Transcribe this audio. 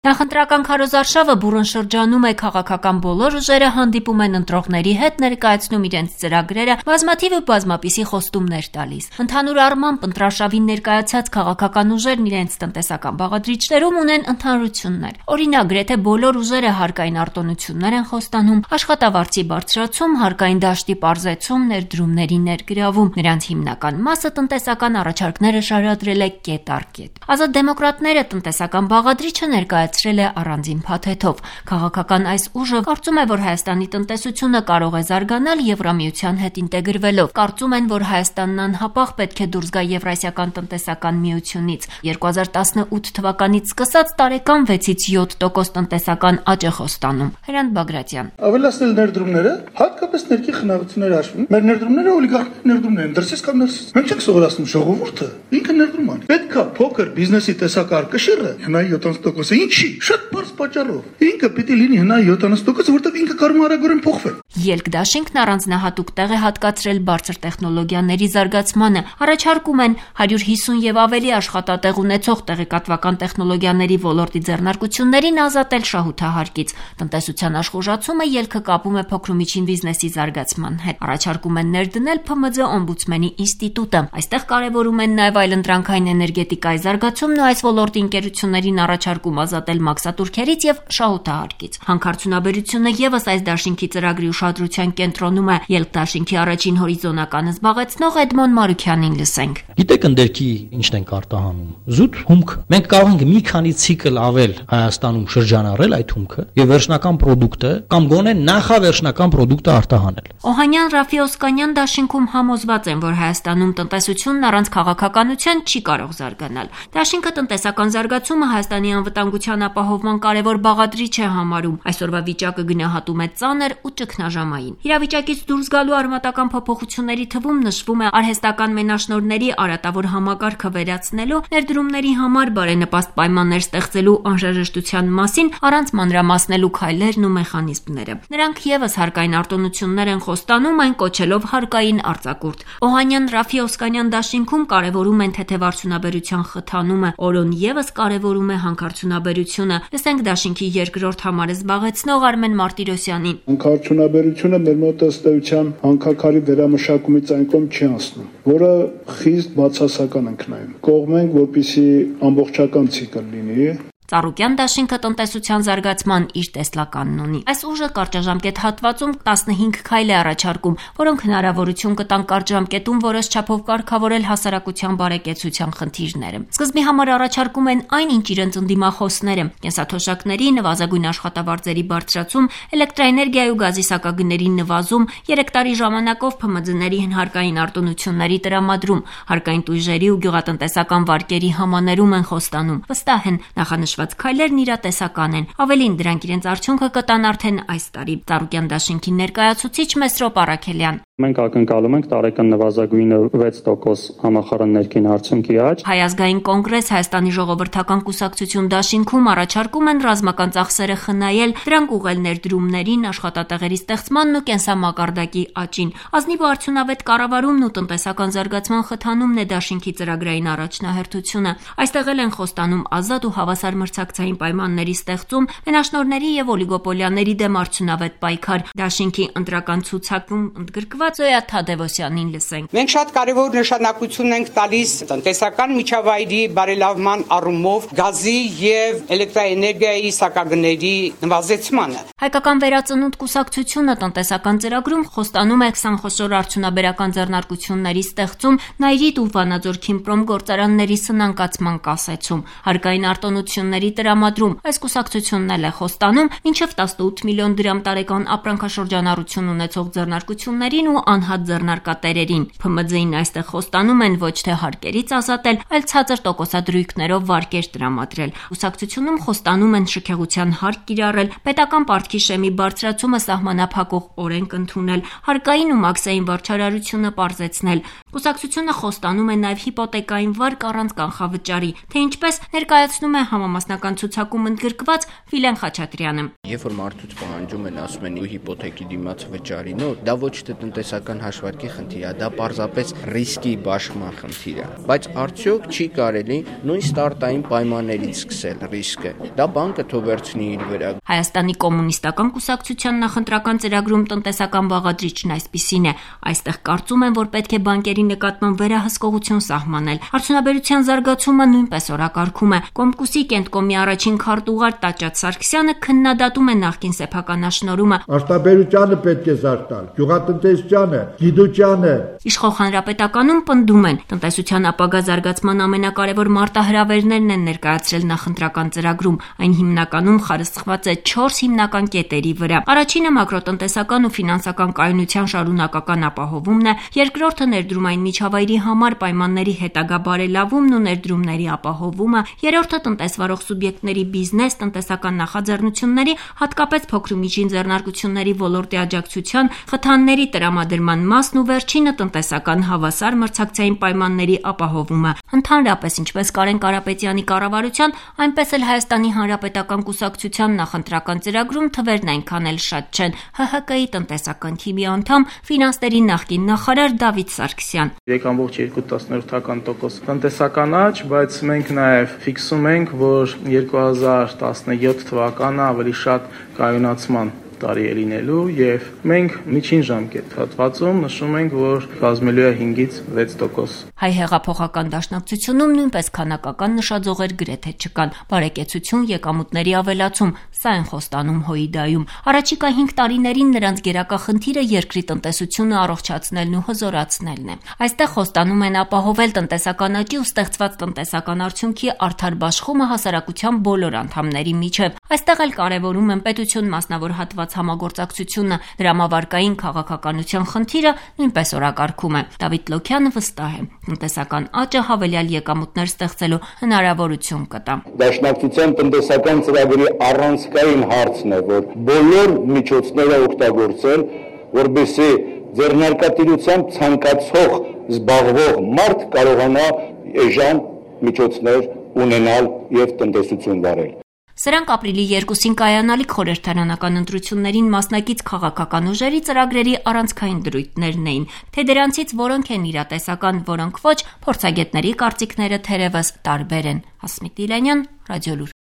Նախընտրական քարոզարշավը բուռն շրջանում է, քաղաքական բոլոր ուժերը հանդիպում են ընտրողների հետ, ներկայացնում իրենց ծրագրերը, բազմաթիվ ու բազմապիսի խոստումներ տալիս։ Ընդհանուր առմամբ ընտրարշավին ներկայացած քաղաքական ուժերն իրենց տնտեսական բաղադրիչներում ունեն ընդհանրություններ։ Օրինակ, գրեթե բոլոր ուժերը հարկային արտոնություններ են խոստանում, աշխատավարձի բարձրացում, հարկային դաշտի պարզեցում, ներդրումների ներգրավում։ Նրանց հիմնական մասը տնտեսական առաջարկները շարադրել է կետ առ կետ։ Ազատ դեմոկրատները տնտեսական բաղադրիչը ներկայացրել է առանձին փաթեթով։ Քաղաքական այս ուժը կարծում է, որ Հայաստանի տնտեսությունը կարող է զարգանալ Եվրամիության հետ ինտեգրվելով։ Կարծում են, որ Հայաստանն անհապաղ պետք է դուրս գա Եվրասիական տնտեսական միությունից։ 2018 թվականից սկսած տարեկան 6-ից 7% տնտեսական աճ է խոստանում։ Հրանտ Բագրատյան։ Ավելացնել ներդրումները, հատկապես ներքի խնայողությունները հաշվին։ Մեր ներդրումները օլիգարխների ներդրումներ են, դրսից կամ ներսից։ Մենք չենք սովորացնում ժողովուրդը, ինքը ներդրում անի։ Պետքա փոքր բիզնեսի տեսակար կշիռը հնայի 70%-ը ինչի։ Շատ բարձ պատճառով։ Ինքը պիտի լինի հնայի 70%, որտեղ ինքը կարող է արագորեն փոխվել։ Ելք դաշինքն առանձնահատուկ տեղ է հատկացրել բարձր տեխնոլոգիաների զարգացմանը։ Առաջարկում են 150 եւ ավելի աշխատատեղ ունեցող տեղեկատվական տեխնոլոգիաների ոլորտի ձեռնարկություններին ազատել շահութահարկից։ Տնտեսության աշխուժացումը ելքը կապում է փոքր ու միջին բիզնեսի զարգացման հետ։ Առաջարկում են ներդնել ՓՄՁ օմբուդսմենի ինստիտուտը։ Այստեղ կարևորում են նաեւ այլընտրանքային էներգետիկայի զարգացումն ու այս ոլորտի ընկերություններին առաջարկում ազատել մաքսատուրքերից եւ շահութահարկից։ Հանքարդյունաբերությունը եւս այս դաշինքի ծրագրի ուշադրության կենտրոնում է։ Ելք դաշինքի առաջին հորիզոնականը զբաղեցնող Էդմոն Մարուքյանին լսենք։ Գիտեք ընդերքի ինչն ենք արտահանում։ Զուտ հումք։ Մենք կարող ենք մի քանի ցիկլ ավել Հայաստանում շրջանառել այդ հումքը եւ վերջնական պրոդուկտը կամ գոնե նախավերջնական պրոդուկտը արտահանել։ Օհանյան, Ռաֆի Օսկանյան դաշինքում համոզված են, որ Հայաստանում տնտեսությունն առանց քաղաքականության չի կարող զարգանալ։ Դաշինքը տնտեսական զարգացումը Հայաստանի անվտանգության ապահովման կարևոր բաղադրիչ է համարում։ Այսօրվա վիճակը գնահատում է ծանր ու ճգնաժամային։ Իրավիճակից դուրս գալու արմատական փոփոխությունների թվում նշվում է արհեստական մենաշնորհների արատավոր համակարգը վերացնելու, ներդրումների համար բարենպաստ պայմաններ ստեղծելու անհրաժեշտության մասին առանց մանրամասնելու քայլերն ու մեխանիզմները։ Նրանք եւս հարկային արտոնություններ են խոստանում, այն կոչելով հարկային արձակուրդ։ Օհանյան, Ռաֆի Օսկանյան դաշինքում կարևորում են թեթև արդյունաբերության խթանումը, օրոն եւս կարևորում է հանքարդյունաբերությունը։ Լսենք դաշինքի երկրորդ համարը զբաղեցնող Արմեն Մարտիրոսյանին։ Հանքարդյունաբերությունը մեր մոտ ըստ էության հանքաքարի վերամշակումից այն կողմ չի անցնում, որը խիստ բացասական ենք նայում։ Կողմենք, որպեսզի ամբողջական ցիկլ լինի։ Ծառուկյան դաշինքը տնտեսության զարգացման իր տեսլականն ունի։ Այս ուժը կարճաժամկետ հատվածում 15 քայլ է առաջարկում, որոնք հնարավորություն կտան կարճաժամկետում որոշ չափով կարգավորել հասարակության բարեկեցության խնդիրները։ Սկզբի համար առաջարկում են այն, ինչ իրենց ընդդիմախոսները՝ կենսաթոշակների, նվազագույն աշխատավարձերի բարձրացում, էլեկտրաէներգիայի ու գազի սակագների նվազում, 3 տարի ժամանակով ՓՄԶ-ների հարկային արտոնությունների տրամադրում, հարկային տույժերի ու գյուղատնտեսական վարկերի համաներում են խոստանում։ Վստահ են նախանշված քայլերն իրատեսական են։ Ավելին, դրանք իրենց արդյունքը կտան արդեն այս տարի։ Ծառուկյան դաշինքի ներկայացուցիչ Մեսրոպ Առաքելյան։ Մենք ակնկալում ենք տարեկան նվազագույնը 6% համախառն ներքին արդյունքի աճ։ Հայ ազգային կոնգրես, Հայաստանի ժողովրդական կուսակցություն դաշինքում առաջարկում են ռազմական ծախսերը խնայել, դրանք ուղղել ներդրումներին, աշխատատեղերի ստեղծմանն ու կենսամակարդակի աճին։ Ազնիվ ու արդյունավետ կառավարումն ու տնտեսական զարգացման խթանումն է դաշինքի ծրագրային առաջնահերթությունը։ Այստեղ էլ են խոստանում ազատ ու հավասար մրցակցային պայմանների ստեղծում, մենաշնորհների եւ օլիգոպոլիաների դեմ արդյունավետ պայքար։ Դաշինքի ընտրական ցուցակում ընդգրկված Զոյա Թադևոսյանին լսենք։ Մենք շատ կարևոր նշանակություն ենք տալիս տնտեսական միջավայրի բարելավման առումով գազի եւ էլեկտրաէներգիայի սակագների նվազեցմանը։ Հայկական վերածնունդ կուսակցությունը տնտեսական ծրագրում խոստանում է 20 խոշոր արդյունաբերական ձեռնարկությունների ստեղծում, Նայրիտ ու Վանաձոր Քիմպրոմ գործարանների սնանկացման կասեցում, հարկային արտոնությունների տրամադրում։ Այս կուսակցությունն էլ է խոստանում մինչև 18 միլիոն դրամ տարեկան ապրանքաշրջանառություն ունեցող ձեռնարկություններին ու անհատ ձեռնարկատերերին։ ՓՄԶ-ին այստեղ խոստանում են ոչ թե հարկերից ազատել, այլ ցածր տոկոսադրույքներով վարկեր տրամադրել։ Կուսակցությունում խոստանում են շքեղության հարկ կիրառել, պետական պարտքի շեմի բարձրացումը սահմանափակող օրենք ընդունել, հարկային ու մաքսային վարչարարությունը պարզեցնել։ Կուսակցությունը խոստանում է նաև հիպոթեկային վարկ առանց կանխավճարի, թե ինչպես ներկայացնում է համամասնական ցուցակում ընդգրկված Վիլեն Խաչատրյանը։ Երբ որ մարդուց պահանջում են, ասում են հիպոթեկի դիմաց վճարի, դա ոչ թե տնտեսական հաշվարկի խնդիր է, դա պարզապես ռիսկի բաշխման խնդիր է։ Բայց արդյոք չի կարելի նույն ստարտային պայմաններից սկսել ռիսկը։ Դա բանկը թող վերցնի իր վրա։ Հայաստանի կոմունիստական կուսակցության նախընտրական ծրագրում տնտեսական բաղադրիչն այսպիսին է։ Այստեղ կարծում են, որ պետք է բանկերի նկատմամբ վերահսկողություն սահմանել։ Արդյունաբերության զարգացումը նույնպես օրակարգում է։ Կոմկուսի Կենտկոմի առաջին քարտուղար Տաճատ Սարգսյանը քննադատում է նախկին սեփականաշնորհումը։ Արտաբերությանը պետք է զարգալ, գյուղատնտեսությանը, գիտությանը։ Իշխող հանրապետականում պնդում են, տնտեսության ապագա զարգացման ամենակարևոր մարտահրավերներն են ներկայացրել նախընտրական ծրագրում։ Այն հիմնականում խարսխված է 4 հիմնական կետերի վրա։ Առաջինը մակրոտնտեսական ու ֆինանսական կայունության շարունակական ապահովումն է, երկրորդը ներդրումային միջավայրի համար պայմանների հետագա բարելավումն ու ներդրումների ապահովումը, երրորդը տնտեսվարող սուբյեկտների բիզնես, տնտեսական նախաձեռնությունների, հատկապես փոքր ու միջին ձեռնարկությունների ոլորտի աջակցության, խթանների տրամադրման մասն ու վերջինը տնտեսական հավասար մրցակցային պայմանների ապահովումը։ Ընդհանրապես, ինչպես Կարեն Կարապետյանի կառավարության, այնպես էլ Հայաստանի Հանրապետական կուսակցության նախընտրական ծրագրում թվերն այնքան էլ շատ չեն։ ՀՀԿ-ի տնտեսական թիմի անդամ, ֆինանսների նախկին նախարար Դավիթ Սարգսյան։ 3.2% տնտեսական աճ, բայց մենք նաև ֆիքսում ենք, որ 2017 թվականը ավելի շատ կայունացման տարի է լինելու եւ մենք միջին ժամկետ հատվածում նշում ենք, որ կազմելու է 5-ից 6%։ Հայ հեղափոխական դաշնակցությունում նույնպես քանակական նշաձողեր գրեթե չկան։ Բարեկեցություն, եկամուտների ավելացում, սա են խոստանում ՀՅԴ-ում։ Առաջիկա 5 տարիներին նրանց գերակա խնդիրը երկրի տնտեսությունը առողջացնելն ու հզորացնելն է։ Այստեղ խոստանում են ապահովել տնտեսական աճի ու ստեղծված տնտեսական արդյունքի արդար բաշխումը հասարակության բոլոր անդամների միջև։ Այստեղ էլ կարևորում են պետություն մասնավոր հատված համագործակցությունը, դրամավարկային քաղաքականության խնդիրը նույնպես օրակարգում է։ Դավիթ Լոքյանը վստահ է, տնտեսական աճը հավելյալ եկամուտներ ստեղծելու հնարավորություն կտա։ Դաշնակցության տնտեսական ծրագրի առանցքային հարցն է, որ բոլոր միջոցները օգտագործել, որպեսզի ձեռնարկատիրությամբ ցանկացող զբաղվող մարդ կարողանա էժան միջոցներ ունենալ եւ տնտեսություն վարել։ Սրանք ապրիլի 2-ին կայանալիք խորհրդարանական ընտրություններին մասնակից քաղաքական ուժերի ծրագրերի առանցքային դրույթներն էին, թե դրանցից որոնք են իրատեսական, որոնք ոչ, փորձագետների կարծիքները թերևս տարբեր են։ Հասմիկ Դիլանյան, Ռադիոլուր։